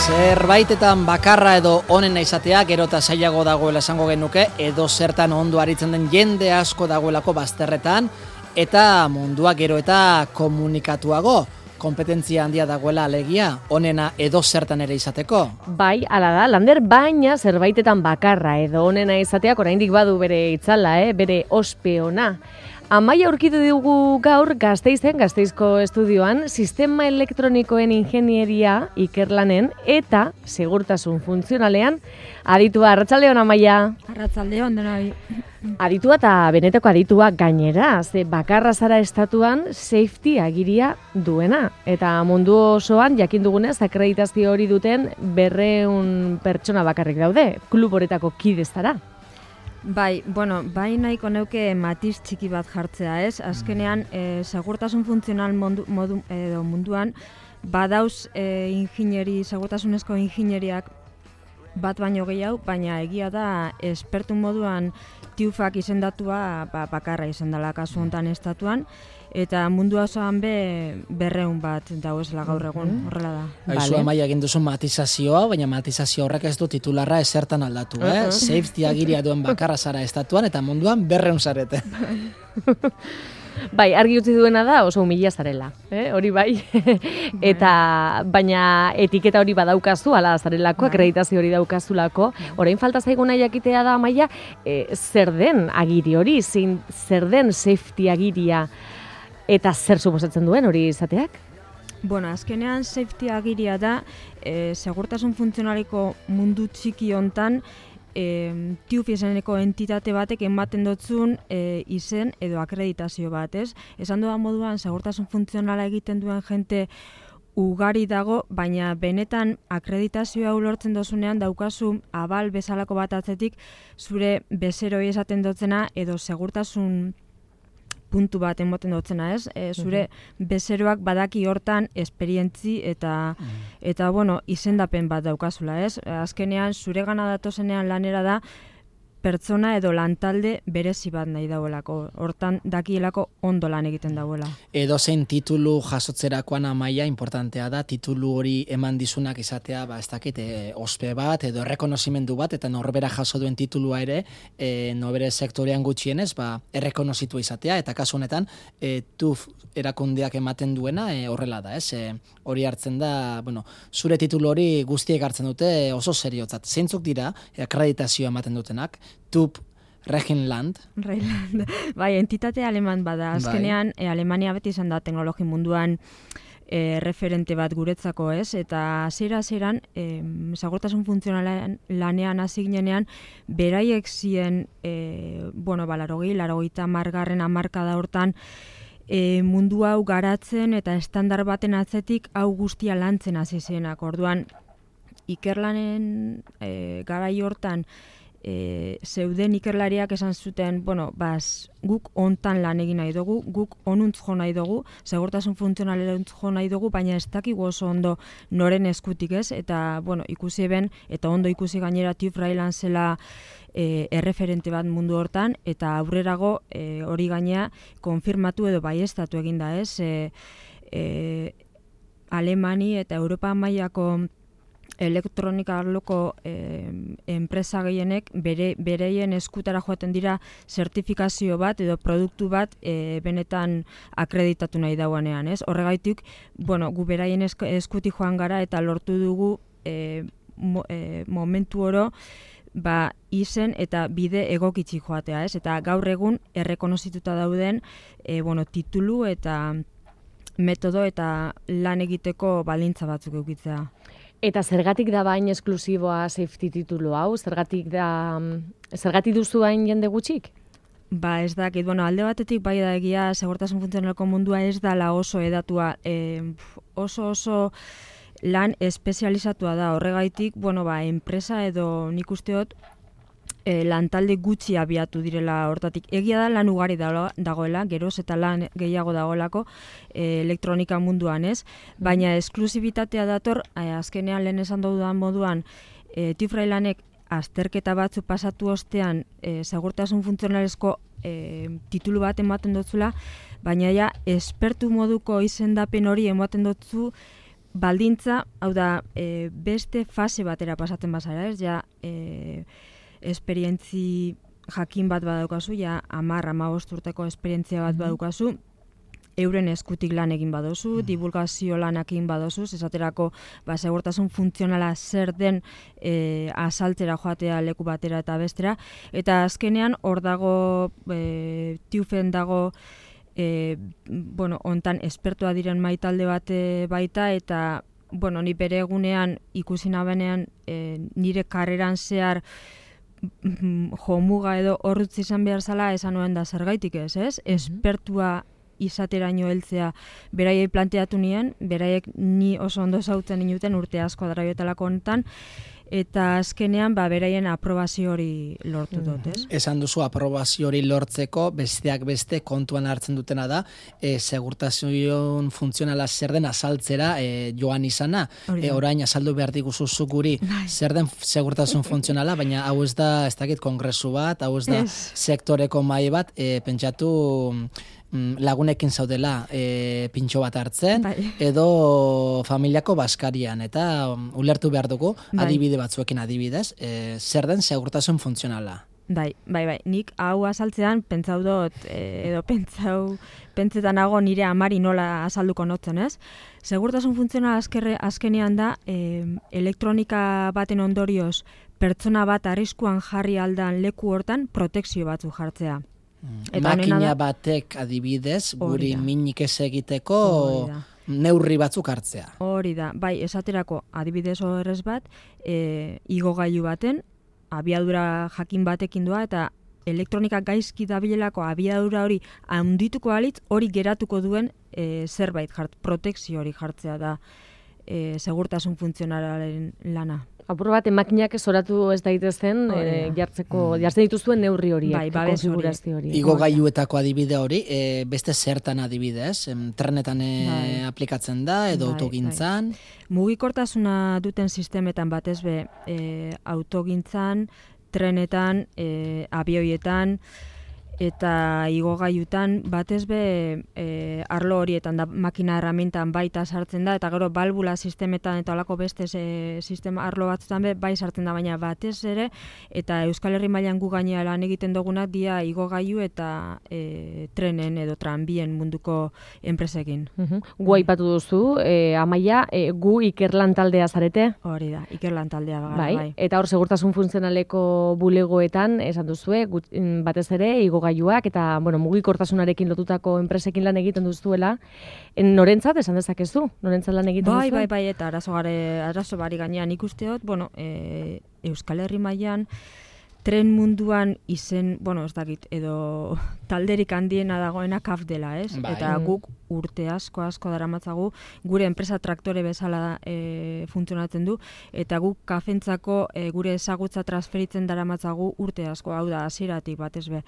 Zerbaitetan bakarra edo onena izatea gero eta zailago dagoela esango genuke, edo zertan ondo aritzen den jende asko dagoelako bazterretan, eta mundua gero eta komunikatuago, kompetentzia handia dagoela alegia, onena edo zertan ere izateko. Bai, hala da, Lander, baina zerbaitetan bakarra edo onena izateak oraindik badu bere itzala, bere ospe ona. Amaia aurkitu dugu gaur Gasteizko estudioan, sistema elektronikoen ingenieria ikerlanen eta segurtasun funtzionalean aditua. Arratsaldeon, Amaia. Arratsaldeon denoi. Aditua eta benetako aditua gainera, ze bakarra zara estatuan safety agiria duena. Eta mundu osoan, jakin dugunez, akreditazio hori duten 200 pertsona bakarrik daude, klub horetako kide zara. Bai nahiko neuke matiz txiki bat jartzea, ez? Azkenean, segurtasun funtzional munduan, badauz segurtasunezko ingenieriak bat baino gehiago, baina egia da espertu moduan TÜVak izendatua bakarra izan dela kasu honetan estatuan, eta mundu osoan 200 bat dauezela gaur egun, horrela da. Aizu, Amaia, egin duzu matizazioa, baina matizazio horrek ez du titularra ezertan aldatu, Safety agiria duen bakarra zara estatuan, eta munduan 200 zarete. Bai, argi utzi duena da oso humila zarela, hori bai. Eta baina etiketa hori badaukazu, ala zarelako, akreditazio hori daukazulako. Orain falta zaiguna jakitea da, Amaia, zer den agiri hori, zer den safety agiria, eta zer suposatzen duen hori izateak? Bueno, azkenean safety agiria da, segurtasun funtzionaliko mundu txiki hontan, TÜV izeneko entitate batek ematen dutzun izen edo akreditazio bat, ez? Esan dudan moduan, segurtasun funtzionala egiten duen jente ugari dago, baina benetan akreditazioa lortzen dozunean daukazu abal bezalako bat atzetik zure bezeroi esaten dutzena edo segurtasun puntu bat emoten dutzena, ez? Zure bezeroak badaki hortan esperientzi eta izendapen bat daukazula, ez? Azkenean, zure gana datozenean lanera da, pertsona edo lantalde berezi bat nahi dauelako. Hortan dakielako ondo lan egiten dauela. Edo zein titulu jasotzerakoan, Amaia, importantea da, titulu hori eman dizunak izatea, ez dakit, ospe bat, edo errekonozimendu bat, eta norbera jaso duen titulua ere, norbere sektorean gutxienez, errekonozitua izatea, eta kasu honetan, TÜV erakundeak ematen duena horrela da, ez? Hori hartzen da, zure titulu hori guztiek hartzen dute oso seriotzat. Zeintzuk dira, akreditazioa ematen dutenak, TÜV Rheinland. Bai, entitate aleman bada. Azkenean, Alemania beti izan da teknologi munduan referente bat guretzako, ez? Eta zeran, segurtasun funtzionalean lanean hasi ginenean, beraiek zien, 80 margarren hamarkada hortan, mundu hau garatzen eta estandar baten atzetik hau guztia lantzen hasi zenak. Orduan, ikerlanen garai hortan, zeuden ikerlariak esan zuten, guk hontan lan egin nahi dugu, guk onuntz jo nahi dugu, segurtasun funtzionaleruntz jo nahi dugu, baina ez dakigu oso ondo noren eskutik, ez? Eta, ikusi eben, eta ondo ikusi gainera TÜV Rheinland zela erreferente bat mundu hortan, eta aurrerago hori gainea konfirmatu edo baieztatu eginda, ez? Alemani eta Europa mailako elektronika arloko enpresa gehienek bereien eskutara joaten dira zertifikazio bat edo produktu bat benetan akreditatu nahi dauanean, ez? Horregaitik, gu beraien eskutik joan gara eta lortu dugu momentu oro izen eta bide egokitzi joatea, ez? Eta gaur egun errekonozituta dauden titulu eta metodo eta lan egiteko baldintza batzuk edukitzea. Eta zergatik da bain esklusiboa safety titulu hau? Zergatik duzu hain jende gutxik? Ez dakit, alde batetik bai da egia segurtasun funtzionaleko mundua ez dala oso edatua, oso lan espezializatua da, horregaitik, enpresa edo nik usteot lantalde gutxi abiatu direla hortatik. Egia da lan ugari dagoela, geroz eta lan gehiago dagoelako elektronika munduan, ez? Baina esklusibitatea dator, azkenean lehen esan dudan moduan, TÜV Rheinlandek azterketa batzu pasatu ostean segurtasun funtzionalezko titulu bat ematen dutzula, baina ja espertu moduko izendapen hori ematen dutzu baldintza, hau da, beste fase batera pasatzen bazara, ez, ja, esperientzi jakin bat badaukazu, ja, 10-15 urteko esperientzia bat badaukazu, euren eskutik lan egin badozu, divulgazio lanak egin badozu, esaterako segurtasun funtzionala zer den azaltzera joatea leku batera eta bestera, eta azkenean hor dago, TÜVen dago, hontan espertua diren maitalde bat baita, eta ni bere egunean ikusi nabenean nire karreran zehar jomuga edo horrutz izan behar zala esan nuen da zergaitik ez? Espertua izateraino heltzea beraiei planteatu nien, beraiek ni oso ondo zautzen inuten urte asko daraiotelako honetan, eta azkenean beraien aprobazio hori lortu dut, ez? Esan duzu aprobazio hori lortzeko besteak beste kontuan hartzen dutena da segurtasun funtzionala zer den azaltzera joan izana. Orain azaldu behar diguzu zuk guri zer den segurtasun funtzionala, baina hau ez da, ez dakit kongresu bat, hau ez da sektoreko mahai bat, pentsatu lagunekin zaudela pintxo bat hartzen, edo familiako baskarian, eta ulertu behar dugu, adibide batzuekin adibidez, zer den segurtasun funtzionala. Bai, nik hau azaltzean pentsau dut, edo pentsetan nago nire amari nola azalduko notzen, ez? Segurtasun funtzionala azkenean da, elektronika baten ondorioz, pertsona bat arriskuan jarri aldan leku hortan protekzio batzu jartzea. Makina batek adibidez, guri minik ez egiteko neurri batzuk hartzea. Hori da, bai, esaterako adibidez horrez bat, igogailu baten, abiadura jakin batekin doa, eta elektronika gaizki dabilelako abiadura hori handituko alitz, hori geratuko duen zerbait protekzio hori jartzea da segurtasun funtzionalaren lana. Apur bat, makinak zoratu ez daitezen, jartzen dituzuen neurri horiek, konfigurazio hori. Igogailuetako adibide hori, beste zertan adibidez, trenetan aplikatzen da, edo autogintzan? Mugikortasuna duten sistemetan batez be, autogintzan, trenetan, abioietan, eta igogailutan batez be arlo horietan da makina herramientan baita sartzen da, eta gero balbula sistemetan eta holako beste sistema arlo batzutan be bai sartzen da, baina batez ere eta Euskal Herri mailan gu gainera lan egiten dugunak dia igogailu eta trenen edo tranbien munduko enpresekin. Gu aipatu duzu, Amaia, gu ikerlan taldea zarete? Hori da, ikerlan taldea gara, bai. Eta hor segurtasun funtzionaleko bulegoetan esan duzue, batez ere igogailuak eta mugikortasunarekin lotutako enpresekin lan egiten duzuela, norentzat esan dezakezu? Norentzat lan egiten duzu? Bai, eta arazo bari gainean ikusteot, Euskal Herri mailan tren munduan izen, ez dakit, edo talderik handiena dagoena KAF dela, ez? Eta guk urte asko daramatzagu, gure enpresa traktore bezala funtzionatzen du, eta guk KAFentzako gure ezagutza transferitzen daramatzagu urte asko, hau da, hasieratik batez be.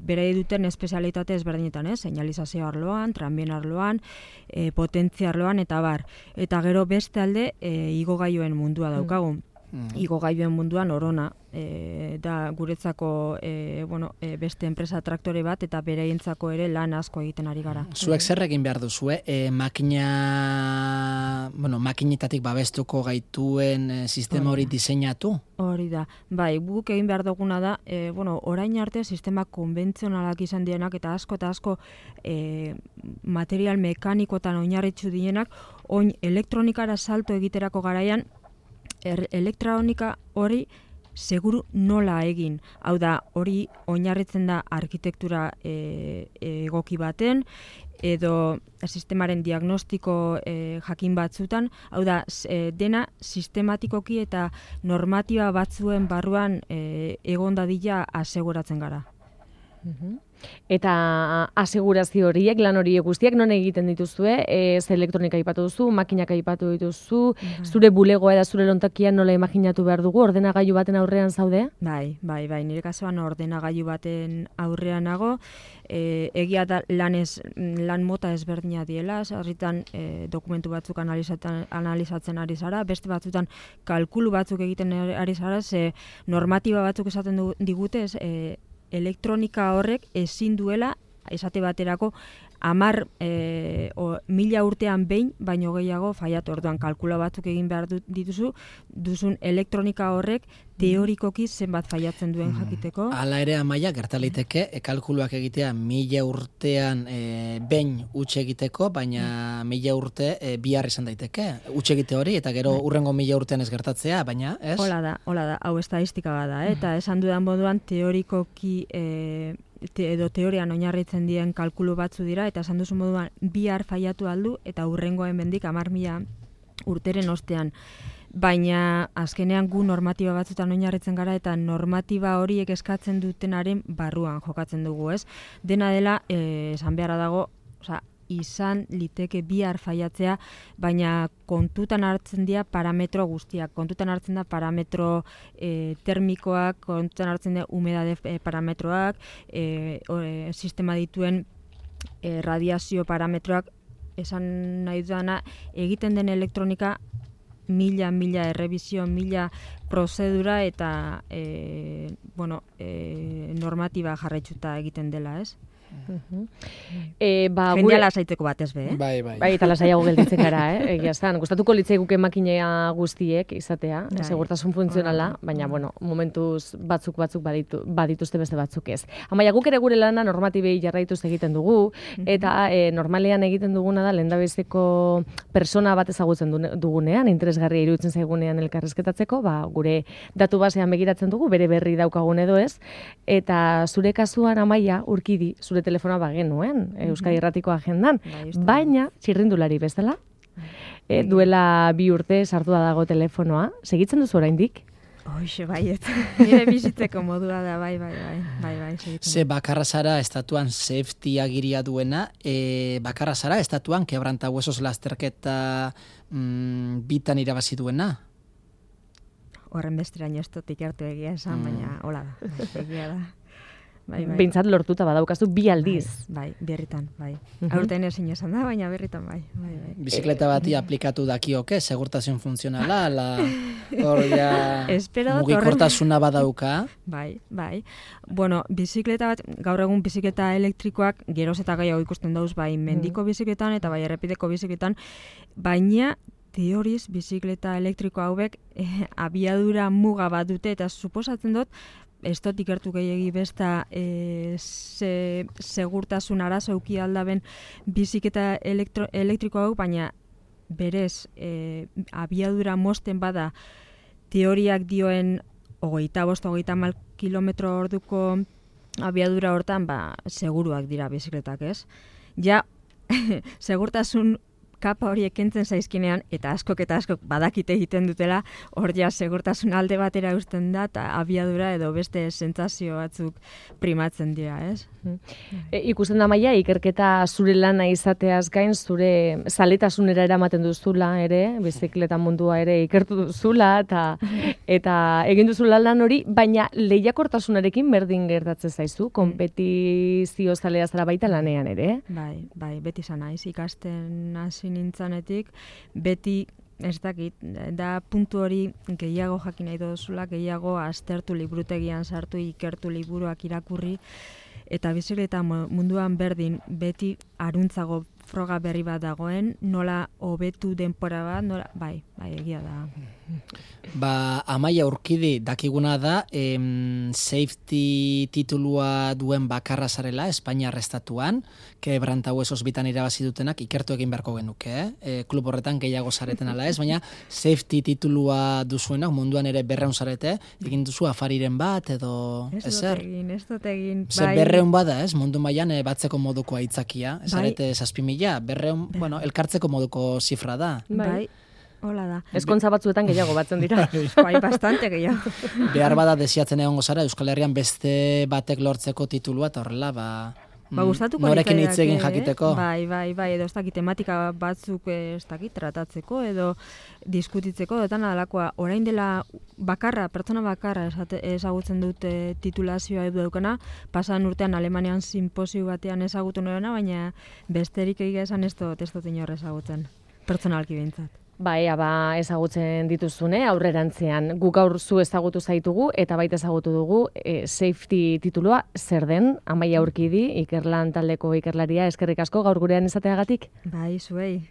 Bere duten espezialitate ezberdinetan, señalizazio arloan, tranbien arloan, potentzia arloan, eta bar. Eta gero beste alde, igogailuen mundua daukagu. Igogailuen munduan orona da guretzako beste enpresa traktore bat eta beraientzako ere lan asko egiten ari gara. Zuek zer egin behar duzue? Makinetatik babestuko gaituen sistema hori diseinatu? Hori da. Bai, guk egin behar duguna da, orain arte sistema konbentzionalak izan dienak eta asko material mekanikotan oinarritzu dienak, oin elektronikara salto egiterako garaian elektronika hori seguru nola egin. Hau da, hori oinarritzen da arkitektura egoki baten, edo sistemaren diagnostiko jakin batzutan, hau da, dena sistematikoki eta normatiba batzuen barruan egon dadila aseguratzen gara. Eta asegurazio horiek, lan horiek guztiak non egiten dituzue, elektronika aipatu duzu, makinak aipatu dituzu, zure bulegoa eta zure lontakian nola imaginatu behar dugu, ordenagailu baten aurrean zaude? Bai, nire kasuan ordenagailu baten aurrean nago, egia da lan mota ezberdina diela, sarritan dokumentu batzuk analizatzen ari zara, beste batzutan kalkulu batzuk egiten ari zara, normatiba batzuk esaten digute, elektronika horrek ezin duela esate baterako 1000 urtean behin, baino gehiago faiatu. Orduan kalkula batzuk egin behar duzun elektronika horrek teorikoki zenbat faiatzen duen jakiteko. Hala ere, Amaia, gertaliteke, kalkuluak egitea 1000 urtean behin utxe egiteko, baina 1000 urte bihar izan daiteke. Utxe egite hori, eta gero urrengo 1000 urtean ez gertatzea, baina, ez? Hola da, hau estadistika bada, eta esan dudan moduan teorikoki edo teorian oinarritzen dien kalkulu batzu dira, eta esan duzu moduan bihar faiatu aldu, eta urrengoen mendik 10.000 urteren ostean. Baina azkenean gu normatiba batzutan oinarritzen gara, eta normatiba horiek eskatzen dutenaren barruan jokatzen dugu, ez? Dena dela, esan beharra dago, izan liteke bihar faiatzea, baina kontutan hartzen dira parametro guztiak. Kontutan hartzen da parametro termikoak, kontutan hartzen da humedade parametroak, sistema dituen radiazio parametroak, esan nahi dudana, egiten den elektronika 1000 errebizio, 1000 prozedura eta normatiba jarraitzuta egiten dela, ez? Jendea lasaitzeko batez be, Bai. Eta lasaiago gelditzen gara, egia estan. Gustatuko litzaiguke makinea guztiek izatea, segurtasun funtzionala, baina, momentuz batzuk badituzte beste batzuk ez. Amaia, guk ere gure lana normatibei jarraituz egiten dugu, eta normalean egiten duguna da lehendabiziko persona bat ezagutzen dugunean, interesgarria iruditzen zaigunean elkarrizketatzeko, gure datu basean begiratzen dugu, bere berri daukagun edo ez, eta zure kasuan, Amaia, Urkidi, zure telefonoa bagenuen, Euskadi Irratiko agendan, baina txirrindulari bezala, duela 2 urte sartua dago telefonoa, segitzen duzu oraindik? Hoxe, baiet, nire bizitzeko modua da, bai, segitzen. Ze bakarra zara estatuan safety agiria duena, bakarra zara estatuan quebrantahuesos lasterketa bitan irabazi duena? Horren besteraino ez dut ikertu egia esan, baina hola da, egia da. Behintzat lortuta badaukazu 2 aldiz. Bai, berritan, bai. Aurten ezin esan da, baina berritan, bai. Bizikleta bati aplikatu dakioke, segurtasun funtzionala, hor ja mugikortasuna badauka. Bai. Bueno, bizikleta bat, gaur egun bizikleta elektrikoak geroz eta gehiago ikusten dauz, bai mendiko bizikletan eta bai errepideko bizikletan, baina teoriz bizikleta elektriko hauek abiadura muga bat dute, eta suposatzen dut, ez dut ikertu gehiegi besta segurtasun arazo euki aldaben bizikleta elektriko hau, baina berez abiadura mosten bada teoriak dioen 25-30 kilometro orduko abiadura hortan, seguruak dira bizikletak, ez? Ja, segurtasun kapa horiek kentzen zaizkinean, eta askok badakite egiten dutela, hor ja segurtasun alde batera eusten da, eta abiadura edo beste sentsazio batzuk primatzen dira, ez? Ikusten da, Maia, ikerketa zure lana izateaz gain, zure zaletasunera eramaten duzula ere, bizikleta mundua ere ikertu duzula, eta egin duzula lan hori, baina lehiakortasunarekin berdin gertatzen zaizu, konpetizio zalea zara baita lanean ere? Bai, beti izan naiz, ikasten hasi nintzanetik, beti, ez dakit, da puntu hori gehiago jakin nahi duzula, gehiago aztertu liburutegian sartu, ikertu liburuak irakurri, eta bizikleta munduan berdin, beti aruntzago froga berri bat dagoen, nola hobetu denpora bat, bai, egia da. Amaia, Urkidi, dakiguna da, safety titulua duen bakarra zarela, Espainiar estatuan, quebrantahuesos bitan irabazi dutenak ikertu egin beharko genuke, klub horretan gehiago zareten ala ez, baina safety titulua duzuenak munduan ere 200 zarete, egin duzu afariren bat, edo ezer? Ez dut egin, bai. 200 bada, ez? Mundu mailan batzeko moduko aitzakia, ez zarete 7.000, 200, elkartzeko moduko zifra da. Bai. Hola da. Ezkontza batzuetan gehiago batzen dira. Bai, bastante gehiago. Behar bada desiatzen egongo zara, Euskal Herrian beste batek lortzeko titulua, eta horrela, gustatuko norekin hitz egin jakiteko. Bai, edo ez dakit tematika batzuk ez dakit tratatzeko, edo diskutitzeko, edo alakoa, orain dela pertsona bakarra ezagutzen dut titulazioa edo daukana, pasan urtean Alemanian sinposio batean ezagutu norena, baina besterik egia esan ez dut inor ezagutzen, pertsonalki behintzat. Ea ezagutzen dituzune aurrerantzean. Guk gaur zu ezagutu zaitugu eta baita ezagutu dugu safety titulua zer den, Amaia Urkidi, Ikerlan taldeko ikerlaria, eskerrik asko gaur gurean izateagatik. Bai, zuei.